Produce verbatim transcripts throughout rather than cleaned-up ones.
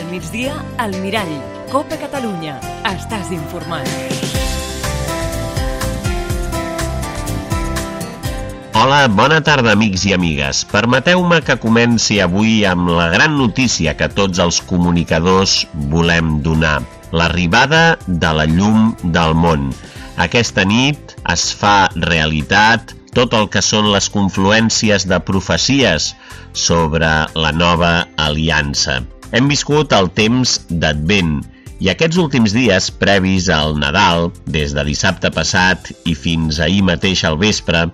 Al migdia, al Mirall. Copa Catalunya. Estàs informat. Hola, bona tarda, amics i amigues. Permeteu-me que comenci avui amb la gran notícia que tots els comunicadors volem donar. L'arribada de la llum del món. Aquesta nit es fa realitat tot el que són les confluències de profecies sobre la nova aliança. Hem viscut el temps d'Advent i aquests últims dies previs al Nadal, des de dissabte passat i fins ahir mateix al vespre,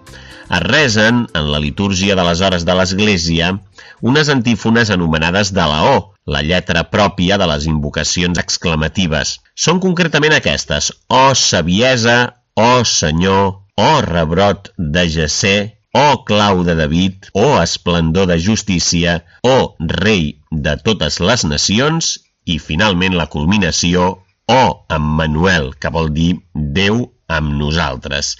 es resen en la litúrgia de les hores de l'Església unes antífones anomenades de la O, la lletra pròpia de les invocacions exclamatives. Són concretament aquestes: «Ó saviesa, ó Senyor, ó rebrot de Jessé, ó clau de David, ó esplendor de justícia, ó rei de totes les nacions», i finalment la culminació, ó Emmanuel, que vol dir Déu amb nosaltres.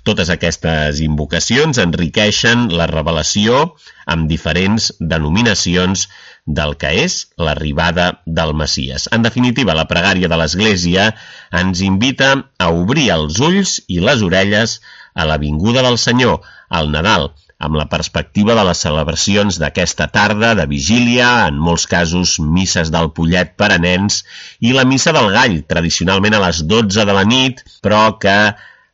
Totes aquestes invocacions enriqueixen la revelació amb diferents denominacions del que és l'arribada del Messies. En definitiva, la pregària de l'Església ens invita a obrir els ulls i les orelles a la vinguda del Senyor, al Nadal, amb la perspectiva de les celebracions d'aquesta tarda de vigília, en molts casos misses del pollet per a nens, i la missa del gall, tradicionalment a les dotze de la nit, però que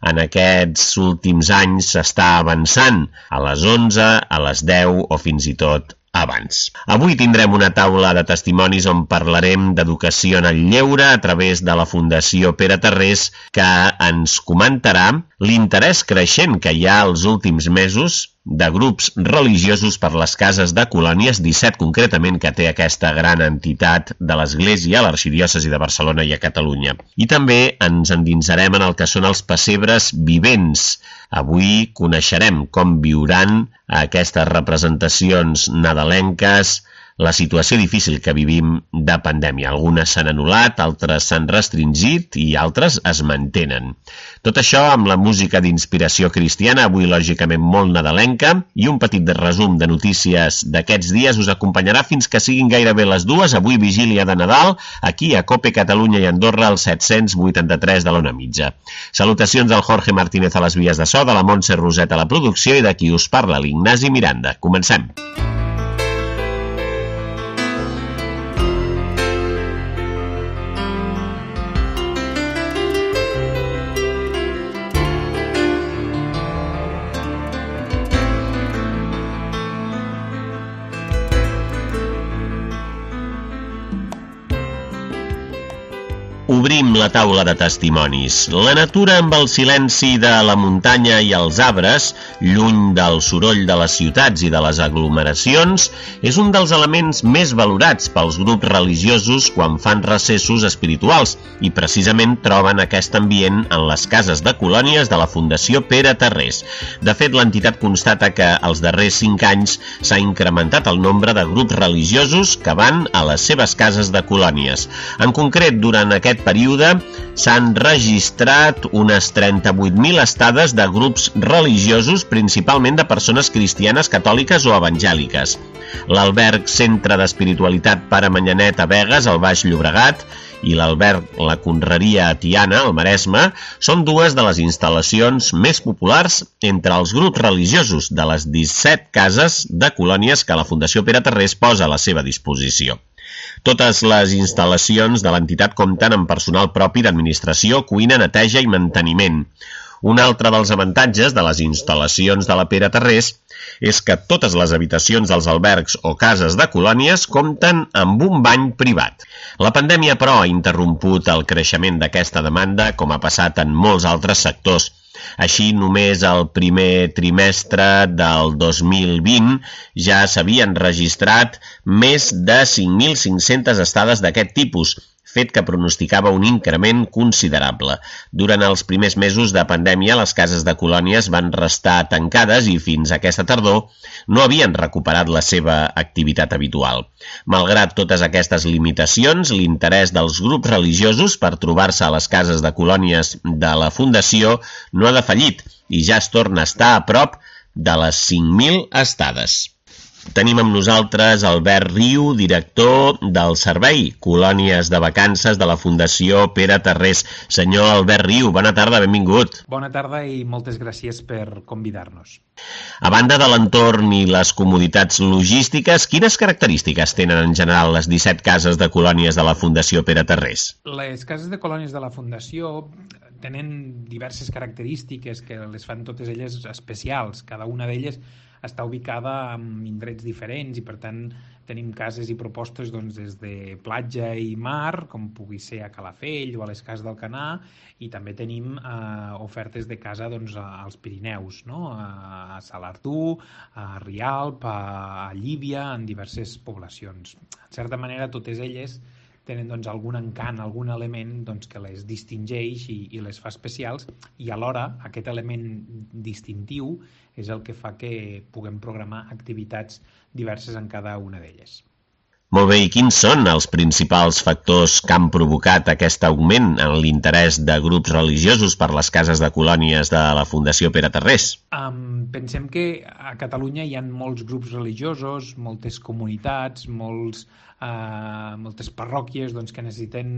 en aquests últims anys s'està avançant a les onze, a les deu o fins i tot abans. Avui tindrem una taula de testimonis on parlarem d'educació en el lleure a través de la Fundació Pere Tarrés, que ens comentarà l'interès creixent que hi ha els últims mesos de grups religiosos per les cases de colònies, disset concretament, que té aquesta gran entitat de l'Església, a l'Arxidiòcesi de Barcelona i a Catalunya. I també ens endinsarem en el que són els pessebres vivents. Avui coneixerem com viuran aquestes representacions nadalenques la situació difícil que vivim de pandèmia. Algunes s'han anul·lat, altres s'han restringit i altres es mantenen. Tot això amb la música d'inspiració cristiana, avui lògicament molt nadalenca, i un petit resum de notícies d'aquests dies us acompanyarà fins que siguin gairebé les dues, avui vigília de Nadal, aquí a Cope Catalunya i Andorra, al set-cents vuitanta-tres de l'Ona Mitja. Salutacions del Jorge Martínez a les vies de so, de la Montse Roset a la producció i de qui us parla, l'Ignasi Miranda. Comencem! Obrim la taula de testimonis. La natura amb el silenci de la muntanya i els arbres, lluny del soroll de les ciutats i de les aglomeracions, és un dels elements més valorats pels grups religiosos quan fan recessos espirituals i precisament troben aquest ambient en les cases de colònies de la Fundació Pere Tarrés. De fet, l'entitat constata que els darrers cinc anys s'ha incrementat el nombre de grups religiosos que van a les seves cases de colònies. En concret, durant aquest període s'han registrat unes trenta-vuit mil estades de grups religiosos, principalment de persones cristianes, catòliques o evangèliques. L'alberg Centre d'Espiritualitat Pare Manyanet a Begues, al Baix Llobregat, i l'alberg La Conreria a Tiana, al Maresme, són dues de les instal·lacions més populars entre els grups religiosos de les disset cases de colònies que la Fundació Pere Tarrés posa a la seva disposició. Totes les instal·lacions de l'entitat compten amb personal propi d'administració, cuina, neteja i manteniment. Un altre dels avantatges de les instal·lacions de la Pere Tarrés és que totes les habitacions dels albergs o cases de colònies compten amb un bany privat. La pandèmia, però, ha interromput el creixement d'aquesta demanda, com ha passat en molts altres sectors. Així, només el primer trimestre del dos mil vint ja s'havien registrat més de cinc mil cinc-centes estades d'aquest tipus, fet que pronosticava un increment considerable. Durant els primers mesos de pandèmia, les cases de colònies van restar tancades i fins a aquesta tardor no havien recuperat la seva activitat habitual. Malgrat totes aquestes limitacions, l'interès dels grups religiosos per trobar-se a les cases de colònies de la Fundació no ha defallit i ja es torna a estar a prop de les cinc mil estades. Tenim amb nosaltres Albert Riu, director del Servei Colònies de Vacances de la Fundació Pere Tarrés. Senyor Albert Riu, bona tarda, benvingut. Bona tarda i moltes gràcies per convidar-nos. A banda de l'entorn i les comoditats logístiques, quines característiques tenen en general les disset cases de colònies de la Fundació Pere Tarrés? Les cases de colònies de la Fundació tenen diverses característiques que les fan totes elles especials. Cada una d'elles està ubicada en indrets diferents i, per tant, tenim cases i propostes doncs, des de platja i mar, com pugui ser a Calafell o a les Cases d'Alcanar, i també tenim eh, ofertes de casa doncs, als Pirineus, no? a Salardú, a Rialp, a, a Llívia, en diverses poblacions. En certa manera, totes elles tenen doncs, algun encant, algun element doncs, que les distingeix i, i les fa especials, i alhora aquest element distintiu és el que fa que puguem programar activitats diverses en cada una d'elles. Molt bé, i quins són els principals factors que han provocat aquest augment en l'interès de grups religiosos per les cases de colònies de la Fundació Pere Tarrés? Um, pensem que a Catalunya hi ha molts grups religiosos, moltes comunitats, molts, uh, moltes parròquies doncs, que necessiten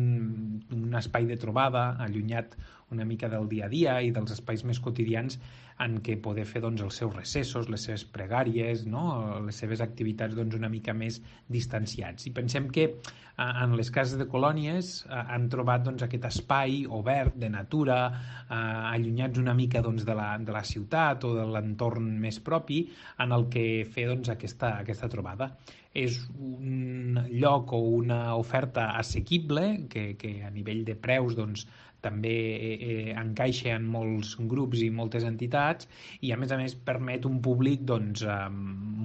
un espai de trobada allunyat una mica del dia a dia i dels espais més quotidians en què poder fer doncs, els seus recessos, les seves pregàries, no? Les seves activitats doncs, una mica més distanciats. I pensem que eh, en les cases de colònies eh, han trobat doncs, aquest espai obert de natura, eh, allunyats una mica doncs, de, la, de la ciutat o de l'entorn més propi, en el que fer doncs, aquesta, aquesta trobada. És un lloc o una oferta assequible que, que a nivell de preus doncs, també eh, encaixa en molts grups i moltes entitats i a més a més permet un públic doncs, eh,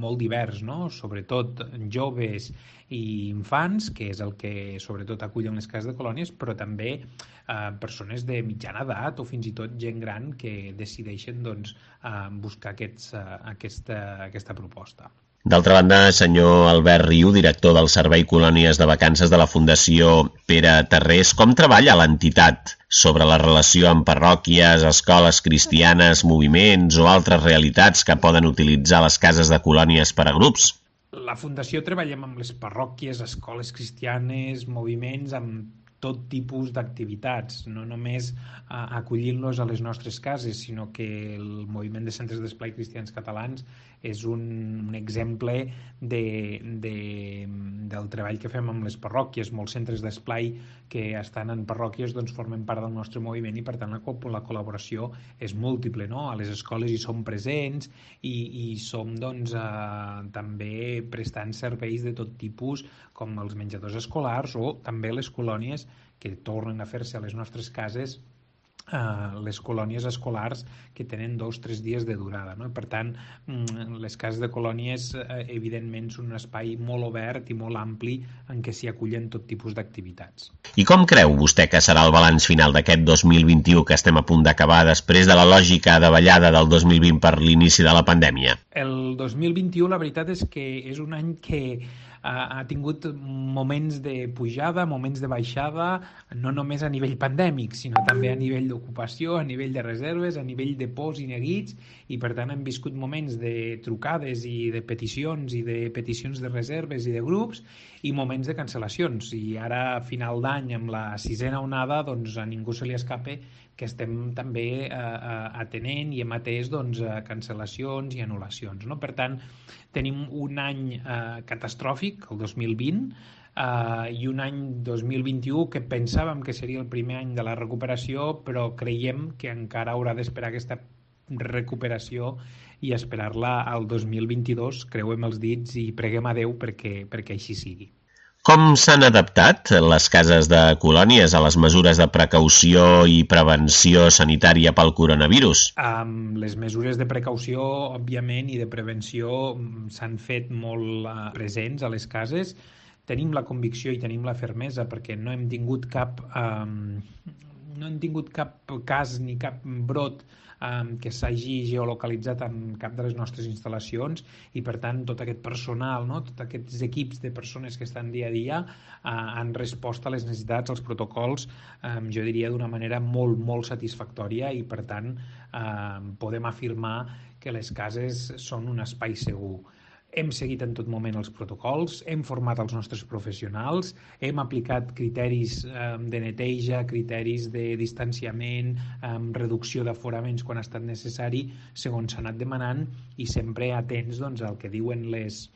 molt divers, no? Sobretot joves i infants, que és el que sobretot acullen les cases de colònies, però també eh, persones de mitjana edat o fins i tot gent gran que decideixen doncs, eh, buscar aquests, eh, aquesta, aquesta proposta. D'altra banda, senyor Albert Riu, director del Servei Colònies de Vacances de la Fundació Pere Tarrés, com treballa l'entitat sobre la relació amb parròquies, escoles cristianes, moviments o altres realitats que poden utilitzar les cases de colònies per a grups? La Fundació treballem amb les parròquies, escoles cristianes, moviments, amb tot tipus d'activitats, no només uh, acollint-los a les nostres cases, sinó que el moviment de centres d'esplai cristians catalans és un, un exemple de, de, del treball que fem amb les parròquies. Molts centres d'esplai que estan en parròquies doncs, formen part del nostre moviment i per tant la, la col·laboració és múltiple. No? A les escoles hi som presents i, i som doncs, uh, també prestant serveis de tot tipus com els menjadors escolars o també les colònies que tornen a fer-se a les nostres cases, eh, les colònies escolars que tenen dos o tres dies de durada. No? Per tant, les cases de colònies eh, evidentment són un espai molt obert i molt ampli en què s'hi acullen tot tipus d'activitats. I com creu vostè que serà el balanç final d'aquest dos mil vint-i-u que estem a punt d'acabar després de la lògica davallada del dos mil vint per l'inici de la pandèmia? El dos mil vint-i-u la veritat és que és un any que ha tingut moments de pujada, moments de baixada, no només a nivell pandèmic, sinó també a nivell d'ocupació, a nivell de reserves, a nivell de pors i neguits, i per tant hem viscut moments de trucades i de peticions i de peticions de reserves i de grups i moments de cancel·lacions. I ara, a final d'any, amb la sisena onada, doncs a ningú se li escape que estem també eh, atenent i hem atès doncs, cancel·lacions i anul·lacions. No? Per tant, tenim un any eh, catastròfic, el dos mil vint, eh, i un any dos mil vint-i-u que pensàvem que seria el primer any de la recuperació, però creiem que encara haurà d'esperar aquesta recuperació i esperar-la al dos mil vint-i-dos, creuem els dits i preguem a Déu perquè, perquè així sigui. Com s'han adaptat les cases de colònies a les mesures de precaució i prevenció sanitària pel coronavirus? Um, les mesures de precaució, òbviament, i de prevenció s'han fet molt uh, presents a les cases. Tenim la convicció i tenim la fermesa perquè no hem tingut cap, um, no hem tingut cap cas ni cap brot um, que s'hagi geolocalitzat en cap de les nostres instal·lacions i, per tant, tot aquest personal, no? Tots aquests equips de persones que estan dia a dia uh, han respost a les necessitats, als protocols, um, jo diria d'una manera molt, molt satisfactòria i, per tant, uh, podem afirmar que les cases són un espai segur. hem seguit en tot moment els protocols, hem format els nostres professionals, hem aplicat criteris eh, de neteja, criteris de distanciament, eh, reducció d'aforaments quan ha estat necessari, segons s'ha anat demanant, i sempre atents doncs, al que diuen les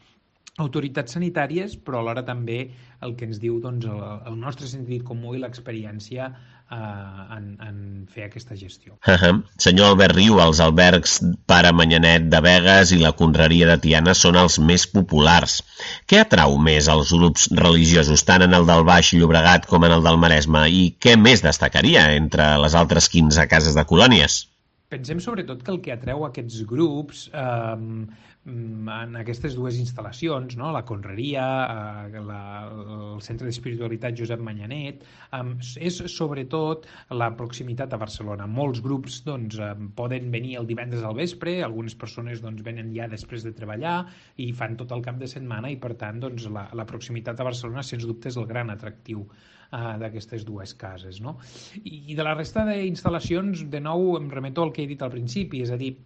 autoritats sanitàries, però alhora també el que ens diu doncs, el, el nostre sentit comú i l'experiència eh, en, en fer aquesta gestió. Uh -huh. Senyor Albert Riu, els albergs Pare Manyanet de Begues i la Conreria de Tiana són els més populars. Què atrau més als grups religiosos, tant en el del Baix Llobregat com en el del Maresme, i què més destacaria entre les altres quinze cases de colònies? Pensem sobretot que el que atreu aquests grups eh, en aquestes dues instal·lacions, no? La Conreria, eh, la, el Centre d'Espiritualitat Josep Manyanet, eh, és sobretot la proximitat a Barcelona. Molts grups doncs, eh, poden venir el divendres al vespre, algunes persones doncs, venen ja després de treballar i fan tot el cap de setmana i per tant doncs, la, la proximitat a Barcelona sens dubte és el gran atractiu d'aquestes dues cases, no? I de la resta d'instal·lacions, de nou, em remeto al que he dit al principi, és a dir,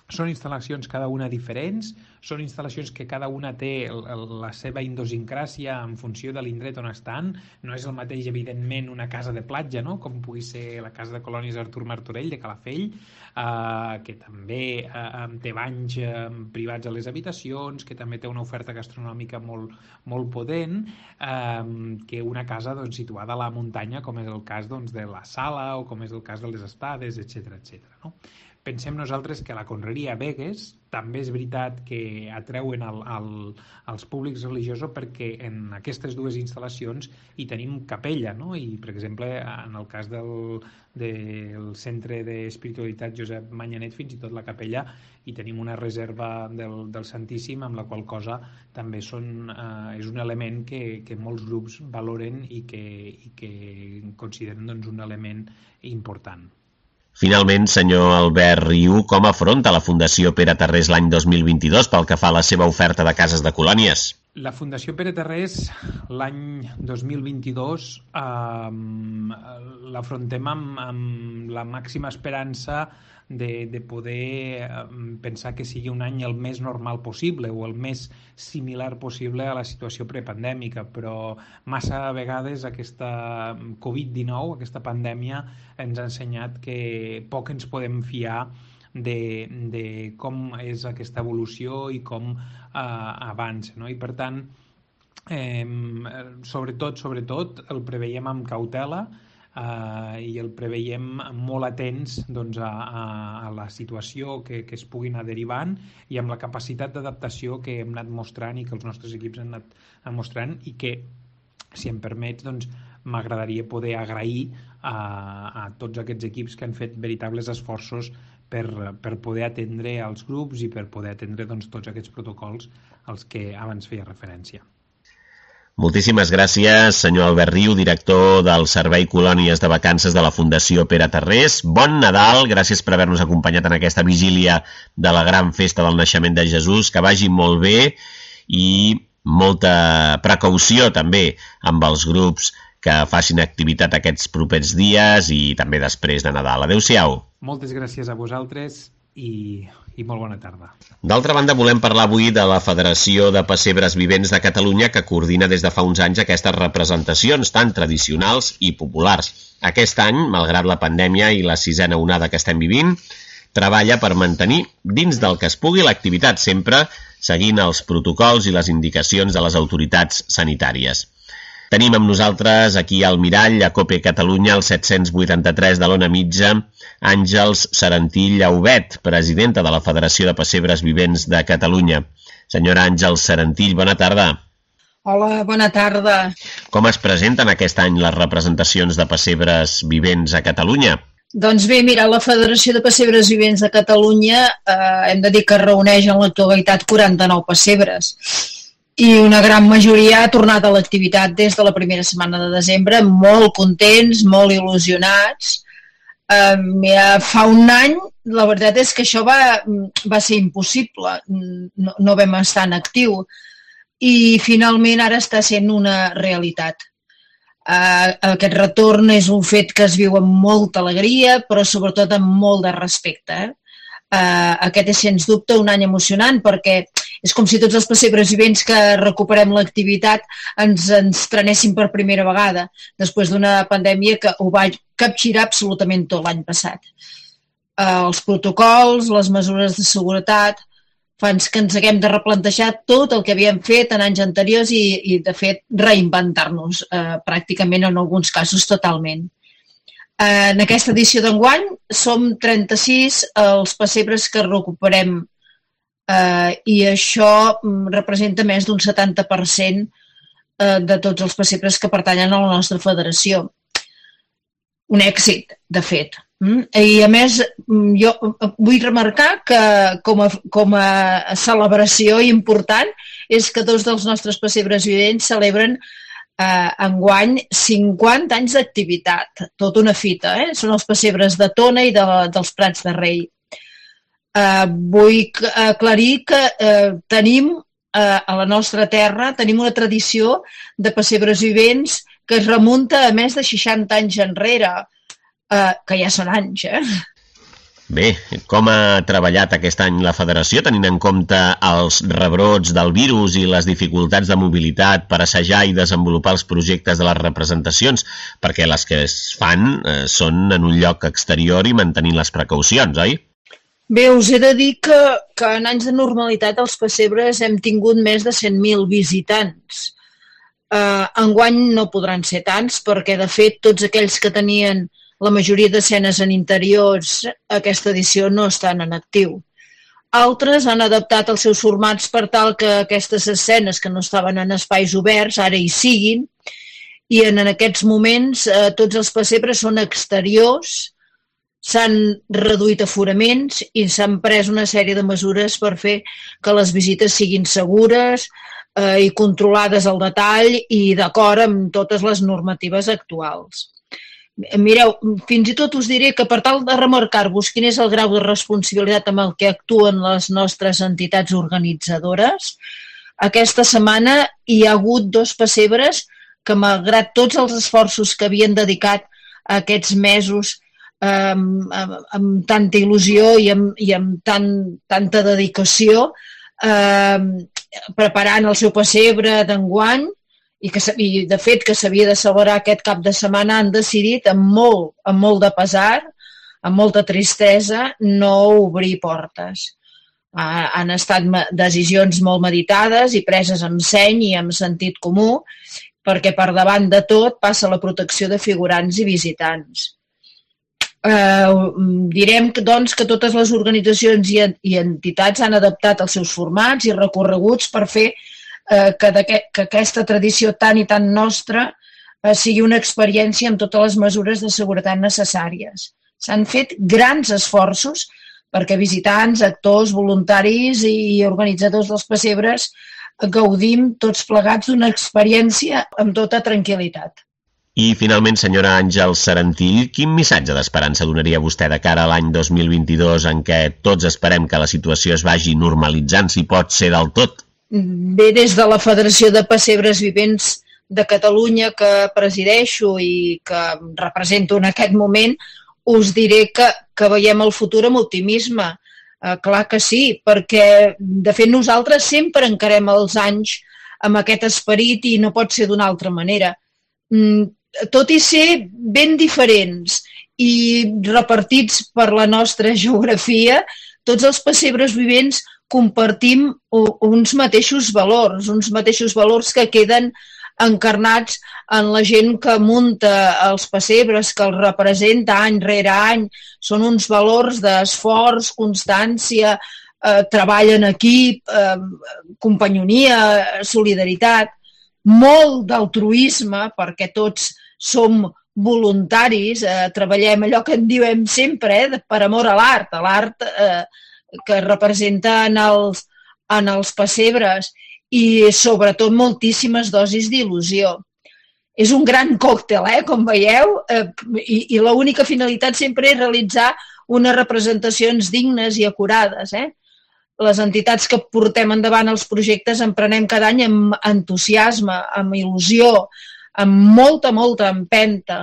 són instal·lacions cada una diferents, són instal·lacions que cada una té la seva idiosincràsia en funció de l'indret on estan. No és el mateix, evidentment, una casa de platja, no? Com pugui ser la casa de colònies Artur Martorell de Calafell, eh, que també eh, té banys eh, privats a les habitacions, que també té una oferta gastronòmica molt, molt potent, eh, que una casa doncs, situada a la muntanya, com és el cas doncs, de la Sala o com és el cas de les Estades, etcètera, etcètera, no? Pensem nosaltres que la Conreria Begues també és veritat que atreuen el, el, els públics religiosos perquè en aquestes dues instal·lacions hi tenim capella, no? I, per exemple, en el cas del, del Centre d'Espiritualitat Josep Manyanet, fins i tot la capella, hi tenim una reserva del, del Santíssim, amb la qual cosa també són, eh, és un element que, que molts grups valoren i que, i que consideren doncs, un element important. Finalment, senyor Albert Riu, com afronta la Fundació Pere Tarrés l'any dos mil vint-i-dos pel que fa a la seva oferta de cases de colònies? La Fundació Pere Tarrés l'any dos mil vint-i-dos eh, l'afrontem amb, amb la màxima esperança de, de poder pensar que sigui un any el més normal possible o el més similar possible a la situació prepandèmica, però massa vegades aquesta covid dinou, aquesta pandèmia, ens ha ensenyat que poc ens podem fiar de, de com és aquesta evolució i com eh, avança, no? I per tant, eh, sobretot, sobretot, el preveiem amb cautela, Uh, i el preveiem molt atents doncs, a, a, a la situació que, que es pugui anar derivant i amb la capacitat d'adaptació que hem anat mostrant i que els nostres equips han anat mostrant i que, si em permets, doncs, m'agradaria poder agrair a, a tots aquests equips que han fet veritables esforços per, per poder atendre els grups i per poder atendre doncs, tots aquests protocols als que abans feia referència. Moltíssimes gràcies, senyor Albert Riu, director del Servei Colònies de Vacances de la Fundació Pere Tarrés. Bon Nadal, gràcies per haver-nos acompanyat en aquesta vigília de la gran festa del naixement de Jesús. Que vagi molt bé i molta precaució també amb els grups que facin activitat aquests propers dies i també després de Nadal. Adéu-siau. Moltes gràcies a vosaltres i, i molt bona tarda. D'altra banda, volem parlar avui de la Federació de Pessebres Vivents de Catalunya, que coordina des de fa uns anys aquestes representacions tan tradicionals i populars. Aquest any, malgrat la pandèmia i la sisena onada que estem vivint, treballa per mantenir dins del que es pugui l'activitat, sempre seguint els protocols i les indicacions de les autoritats sanitàries. Tenim amb nosaltres aquí al mirall, a Cope Catalunya, el set-cents vuitanta-tres de l'Ona Mitja, Àngels Serentí Llaubet, presidenta de la Federació de Pessebres Vivents de Catalunya. Senyora Àngels Serentí, bona tarda. Hola, bona tarda. Com es presenten aquest any les representacions de pessebres vivents a Catalunya? Doncs bé, mira, la Federació de Pessebres Vivents de Catalunya eh, hem de dir que reuneix en l'actualitat quaranta-nou pessebres. I una gran majoria ha tornat a l'activitat des de la primera setmana de desembre, molt contents, molt il·lusionats. Uh, mira, fa un any, la veritat és que això va, va ser impossible, no, no vam estar en actiu i finalment ara està sent una realitat. Uh, aquest retorn és un fet que es viu amb molta alegria, però sobretot amb molt de respecte. Eh? Uh, aquest és sens dubte un any emocionant perquè És com si tots els pessebres vivents que recuperem l'activitat ens, ens trenessin per primera vegada, després d'una pandèmia que ho va capgirar absolutament tot l'any passat. Uh, els protocols, les mesures de seguretat, fan que ens haguem de replantejar tot el que havíem fet en anys anteriors i, i de fet, reinventar-nos, uh, pràcticament en alguns casos totalment. Uh, en aquesta edició d'enguany som trenta-sis els pessebres que recuperem uh, i això representa més d'un setanta per cent uh, de tots els pessebres que pertanyen a la nostra federació. Un èxit, de fet. Mm? I a més, jo vull remarcar que com a, com a celebració important és que dos dels nostres pessebres vivents celebren eh, enguany cinquanta anys d'activitat, tota una fita, eh? Són els pessebres de Tona i de, dels Prats de Rei. Eh, vull aclarir que eh, tenim eh, a la nostra terra tenim una tradició de pessebres vivents que es remunta a més de seixanta anys enrere, Uh, que ja són anys, eh? Bé, com ha treballat aquest any la federació, tenint en compte els rebrots del virus i les dificultats de mobilitat per assajar i desenvolupar els projectes de les representacions, perquè les que es fan eh, són en un lloc exterior i mantenint les precaucions, oi? Bé, us he de dir que, que en anys de normalitat als pessebres hem tingut més de cent mil visitants. Uh, enguany no podran ser tants, perquè de fet tots aquells que tenien la majoria d'escenes en interiors aquesta edició no estan en actiu. Altres han adaptat els seus formats per tal que aquestes escenes que no estaven en espais oberts ara hi siguin i en aquests moments eh, tots els pessebres són exteriors, s'han reduït aforaments i s'han pres una sèrie de mesures per fer que les visites siguin segures eh, i controlades al detall i d'acord amb totes les normatives actuals. Mireu, fins i tot us diré que per tal de remarcar-vos quin és el grau de responsabilitat amb el que actuen les nostres entitats organitzadores, aquesta setmana hi ha hagut dos pessebres que, malgrat tots els esforços que havien dedicat a aquests mesos eh, amb, amb tanta il·lusió i amb, i amb tan, tanta dedicació, eh, preparant el seu pessebre d'enguany, i, que, i de fet que s'havia de celebrar aquest cap de setmana, han decidit amb molt, amb molt de pesar, amb molta tristesa, no obrir portes. Ah, han estat decisions molt meditades i preses amb seny i amb sentit comú, perquè per davant de tot passa la protecció de figurants i visitants. Eh, direm que, doncs, que totes les organitzacions i, i entitats han adaptat els seus formats i recorreguts per fer Que, que aquesta tradició tan i tan nostra eh, sigui una experiència amb totes les mesures de seguretat necessàries. S'han fet grans esforços perquè visitants, actors, voluntaris i organitzadors dels pessebres gaudim tots plegats d'una experiència amb tota tranquil·litat. I finalment, senyora Àngels Serantill, quin missatge d'esperança donaria vostè de cara a l'any dos mil vint-i-dos en què tots esperem que la situació es vagi normalitzant, si pot ser del tot? Bé, des de la Federació de Pessebres Vivents de Catalunya que presideixo i que represento en aquest moment, us diré que, que veiem el futur amb optimisme. Eh, clar que sí, perquè de fet nosaltres sempre encarem els anys amb aquest esperit i no pot ser d'una altra manera. Mm, tot i ser ben diferents i repartits per la nostra geografia, tots els pessebres vivents compartim uns mateixos valors, uns mateixos valors que queden encarnats en la gent que munta els pessebres, que els representa any rere any. Són uns valors d'esforç, constància, eh, treball en equip, eh, companyonia, solidaritat, molt d'altruisme, perquè tots som voluntaris, eh, treballem allò que en diem sempre, eh, per amor a l'art, a l'art eh, que representa en els, en els pessebres i sobretot moltíssimes dosis d'il·lusió. És un gran còctel, eh, com veieu, eh, i, i l'única finalitat sempre és realitzar unes representacions dignes i acurades. Eh? Les entitats que portem endavant els projectes emprenem cada any amb entusiasme, amb il·lusió, amb molta, molta empenta.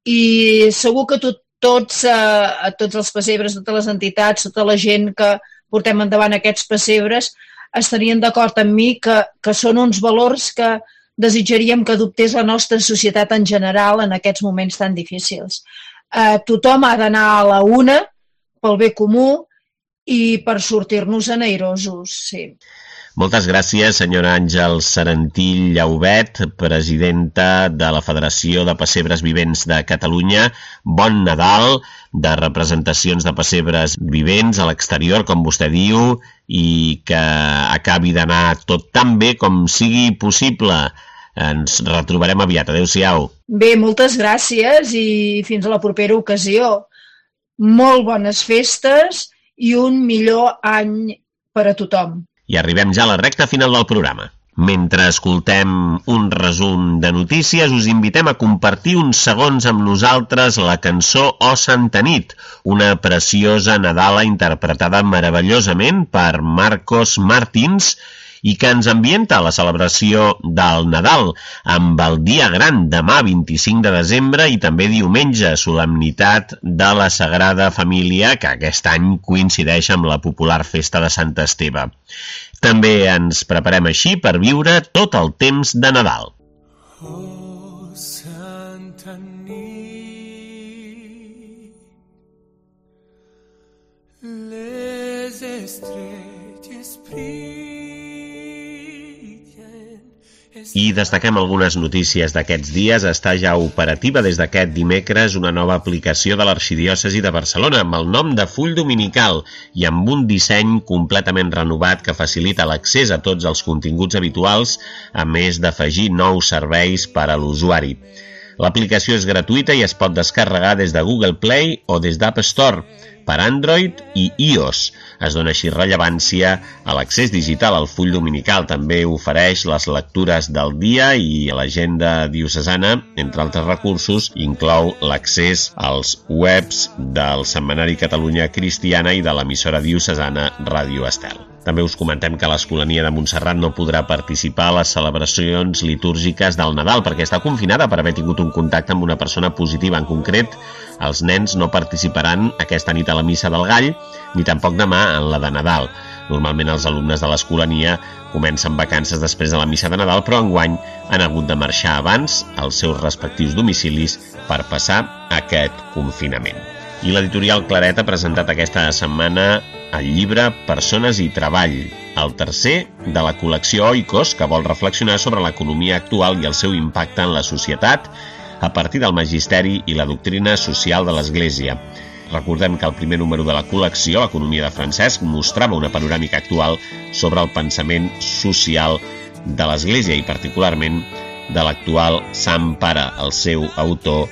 I segur que tot Tots, eh, tots els pessebres, totes les entitats, tota la gent que portem endavant aquests pessebres, estarien d'acord amb mi que, que són uns valors que desitjaríem que adoptés la nostra societat en general en aquests moments tan difícils. Eh, tothom ha d'anar a la una pel bé comú i per sortir-nos-en airosos, sí. Moltes gràcies, senyora Àngels Serentí Llaubet, presidenta de la Federació de Pessebres Vivents de Catalunya. Bon Nadal, de representacions de pessebres vivents a l'exterior, com vostè diu, i que acabi d'anar tot tan bé com sigui possible. Ens retrobarem aviat. Adéu-siau. Bé, moltes gràcies i fins a la propera ocasió. Molt bones festes i un millor any per a tothom. I arribem ja a la recta final del programa. Mentre escoltem un resum de notícies, us invitem a compartir uns segons amb nosaltres la cançó O Santa Nit, una preciosa nadala interpretada meravellosament per Marcos Martins i que ens ambienta a la celebració del Nadal, amb el dia gran demà vint-i-cinc de desembre i també diumenge, solemnitat de la Sagrada Família, que aquest any coincideix amb la popular festa de Sant Esteve. També ens preparem així per viure tot el temps de Nadal. Oh, Santa nit, les estrelles brillen. I destaquem algunes notícies d'aquests dies. Està ja operativa des d'aquest dimecres una nova aplicació de l'Arxidiòcesi de Barcelona amb el nom de Full Dominical i amb un disseny completament renovat que facilita l'accés a tots els continguts habituals, a més d'afegir nous serveis per a l'usuari. L'aplicació és gratuïta i es pot descarregar des de Google Play o des d'App Store per Android i iOS. Es dona així rellevància a l'accés digital al full dominical. També ofereix les lectures del dia i l'agenda diocesana, entre altres recursos, inclou l'accés als webs del Setmanari Catalunya Cristiana i de l'emissora diocesana Ràdio Estel. També us comentem que l'Escolania de Montserrat no podrà participar a les celebracions litúrgiques del Nadal perquè està confinada per haver tingut un contacte amb una persona positiva. En concret, els nens no participaran aquesta nit a la Missa del Gall ni tampoc demà en la de Nadal. Normalment els alumnes de l'Escolania comencen vacances després de la Missa de Nadal, però enguany han hagut de marxar abans als seus respectius domicilis per passar aquest confinament. I l'editorial Claret ha presentat aquesta setmana el llibre Persones i Treball, el tercer de la col·lecció Oikos, que vol reflexionar sobre l'economia actual i el seu impacte en la societat a partir del magisteri i la doctrina social de l'Església. Recordem que el primer número de la col·lecció, Economia de Francesc, mostrava una panoràmica actual sobre el pensament social de l'Església i particularment de l'actual Sant Pare. El seu autor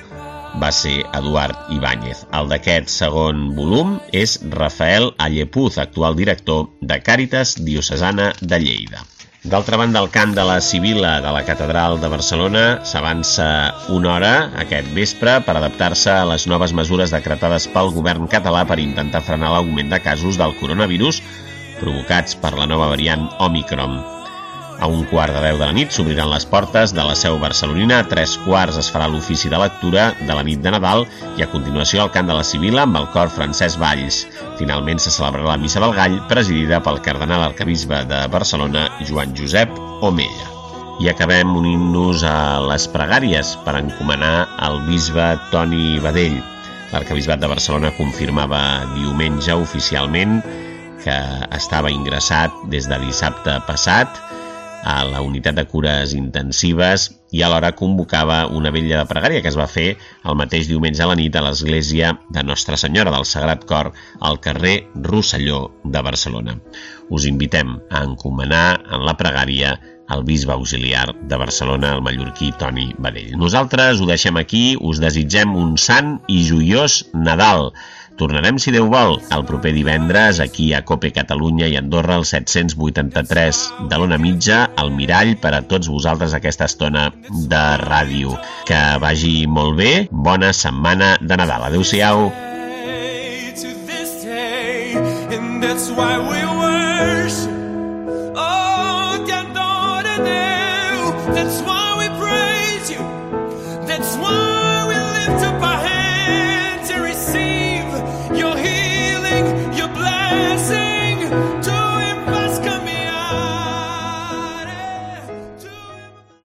va ser Eduard Ibáñez. El d'aquest segon volum és Rafael Allepuz, actual director de Càritas Diocesana de Lleida. D'altra banda, el cant de la Sibila de la Catedral de Barcelona s'avança una hora aquest vespre per adaptar-se a les noves mesures decretades pel govern català per intentar frenar l'augment de casos del coronavirus provocats per la nova variant Òmicron. A un quart de deu de la nit s'obriran les portes de la seu barcelonina, a tres quarts es farà l'ofici de lectura de la nit de Nadal i a continuació el cant de la Sibila amb el cor Francesc Valls. Finalment se celebrarà la Missa del Gall, presidida pel cardenal arquebisbe de Barcelona, Joan Josep Omella. I acabem unint-nos a les pregàries per encomanar el bisbe Toni Badell. L'arquebisbat de Barcelona confirmava diumenge oficialment que estava ingressat des de dissabte passat a la unitat de cures intensives i alhora convocava una vetlla de pregària que es va fer el mateix diumenge a la nit a l'església de Nostra Senyora del Sagrat Cor al carrer Rosselló de Barcelona. Us invitem a encomanar en la pregària el bisbe auxiliar de Barcelona, el mallorquí Toni Badell. Nosaltres ho deixem aquí, us desitgem un sant i joiós Nadal. Tornarem, si Déu vol, el proper divendres aquí a Cope Catalunya i Andorra, el set-cents vuitanta-tres de l'Ona Mitja, al Mirall, per a tots vosaltres aquesta estona de ràdio. Que vagi molt bé, bona setmana de Nadal. Adéu-siau. That's why